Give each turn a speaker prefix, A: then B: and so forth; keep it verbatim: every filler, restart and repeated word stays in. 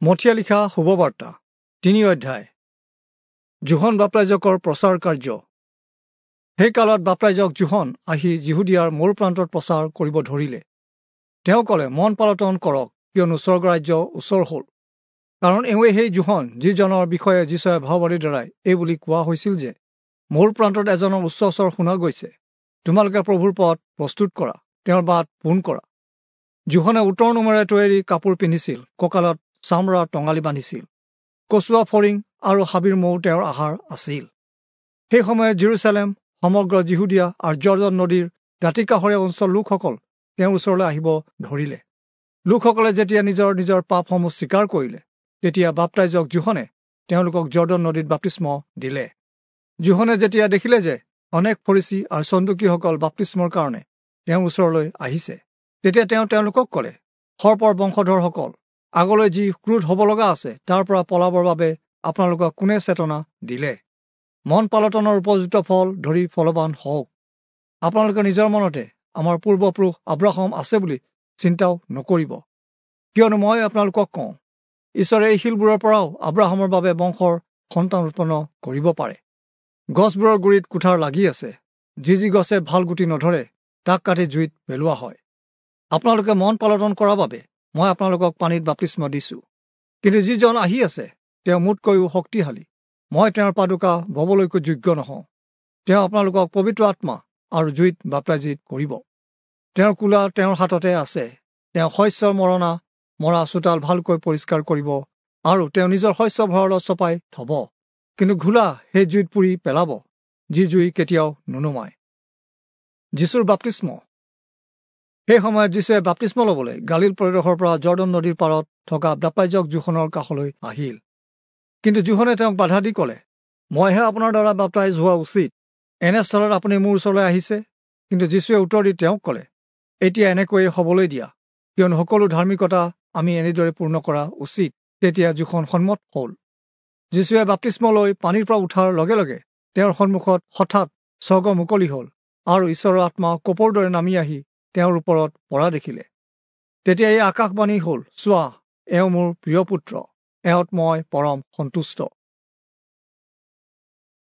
A: মথিয়ে লিখা শুভবাৰ্তা তিনি অধ্যায়। যোহন বাপ্তাইজকৰ প্ৰচাৰ কাৰ্য। সেই কালত বাপ্তাইজক যোহন আহি যিহুদীয়াৰ মৰু প্ৰান্তত প্ৰচাৰ কৰিব ধৰিলে। তেওঁ ক'লে, মন পালটন কৰক, কিয়নো স্বৰ্গৰাজ্য ওচৰ হ'ল। কাৰণ এওঁৱে সেই যোহন, যিজনৰ বিষয়ে যীচুৱে ভাওবাদীৰ দ্বাৰাই এই বুলি কোৱা হৈছিল যে, মৰু প্ৰান্তত এজনৰ উচ্চ স্বৰ শুনা গৈছে, তোমালোকে প্ৰভুৰ পথ প্ৰস্তুত কৰা, তেওঁৰ বাট পোন কৰা। যোহনে উটৰ নোমেৰে তৈয়াৰী কাপোৰ পিন্ধিছিল, কঁকালত চামৰাৰ টঙালি বান্ধিছিল, কচুৱা ফৰিং আৰু হাবিৰ মৌ তেওঁৰ আহাৰ আছিল। সেই সময়ত জেৰুচালেম, সমগ্ৰ যিহুদীয়া আৰু যৰ্দন নদীৰ দাঁতিকাষৰীয়া অঞ্চল লোকসকল তেওঁৰ ওচৰলৈ আহিব ধৰিলে। লোকসকলে যেতিয়া নিজৰ নিজৰ পাপসমূহ স্বীকাৰ কৰিলে, তেতিয়া বাপ্তাইজক যোহনে তেওঁলোকক যৰ্দন নদীত বাপ্তিস্ম দিলে। যোহনে যেতিয়া দেখিলে যে অনেক ফৰীচী আৰু চন্দুকীসকল বাপ্তিস্মৰ কাৰণে তেওঁৰ ওচৰলৈ আহিছে, তেতিয়া তেওঁ তেওঁলোকক ক'লে, সৰ্পৰ বংশধৰসকল, আগলৈ যি ক্ৰোধ হ'ব লগা আছে তাৰ পৰা পলাবৰ বাবে আপোনালোকক কোনে চেতনা দিলে? মন পালটনৰ উপযুক্ত ফল ধৰি ফলৱান হওক। আপোনালোকে নিজৰ মনতে আমাৰ পূৰ্বপুৰুষ আব্ৰাহাম আছে বুলি চিন্তাও নকৰিব, কিয়নো মই আপোনালোকক কওঁ, ঈশ্বৰে এই শিলবোৰৰ পৰাও আব্ৰাহামৰ বাবে বংশৰ সন্তান উৎপন্ন কৰিব পাৰে। গছবোৰৰ গুৰিত কুঠাৰ লাগি আছে, যি যি গছে ভাল গুটি নধৰে তাক কাটি জুইত পেলোৱা হয়। আপোনালোকে মন পালটন কৰাৰ বাবে মই আপোনালোকক পানীত বাপ্তিস্ম দিছোঁ, কিন্তু যিজন আহি আছে তেওঁ মোতকৈও শক্তিশালী, মই তেওঁৰ পাদুকা ববলৈকো যোগ্য নহওঁ। তেওঁ আপোনালোকক পবিত্ৰ আত্মা আৰু জুইত বাপ্তাইজিত কৰিব। তেওঁৰ কোলা তেওঁৰ হাততে আছে, তেওঁ শস্যৰ মৰণা মৰা চোতাল ভালকৈ পৰিষ্কাৰ কৰিব আৰু তেওঁ নিজৰ শস্য ভঁৰালত চপাই থব, কিন্তু ঘোলা সেই জুইত পুৰি পেলাব, যি জুই কেতিয়াও নুনুমায়। যীচুৰ বাপ্তিস্ম। সেই সময়ত যীচুৱে বাপ্তিস্ম ল'বলৈ গালিল প্ৰদেশৰ পৰা যৰ্দন নদীৰ পাৰত থকা বাপ্তাইজক যোহনৰ কাষলৈ আহিল। কিন্তু যোহনে তেওঁক বাধা দি ক'লে, মইহে আপোনাৰ দ্বাৰা বাপ্তাইজ হোৱা উচিত, এনেস্থলত আপুনি মোৰ ওচৰলৈ আহিছে? কিন্তু যীচুৱে উত্তৰ দি তেওঁক ক'লে, এতিয়া এনেকৈয়ে হ'বলৈ দিয়া, কিয়নো সকলো ধাৰ্মিকতা আমি এনেদৰে পূৰ্ণ কৰা উচিত। তেতিয়া যোহন সন্মত হ'ল। যীচুৱে বাপ্তিস্ম লৈ পানীৰ পৰা উঠাৰ লগে লগে তেওঁৰ সন্মুখত হঠাৎ স্বৰ্গ মুকলি হ'ল আৰু ঈশ্বৰৰ আত্মা কপৌৰ দৰে নামি আহি তেওঁৰ ওপৰত পৰা দেখিলে। তেতিয়া এই আকাশবাণী হ'ল, চোৱা, এওঁ মোৰ প্ৰিয় পুত্ৰ, এওঁত মই পৰম সন্তুষ্ট।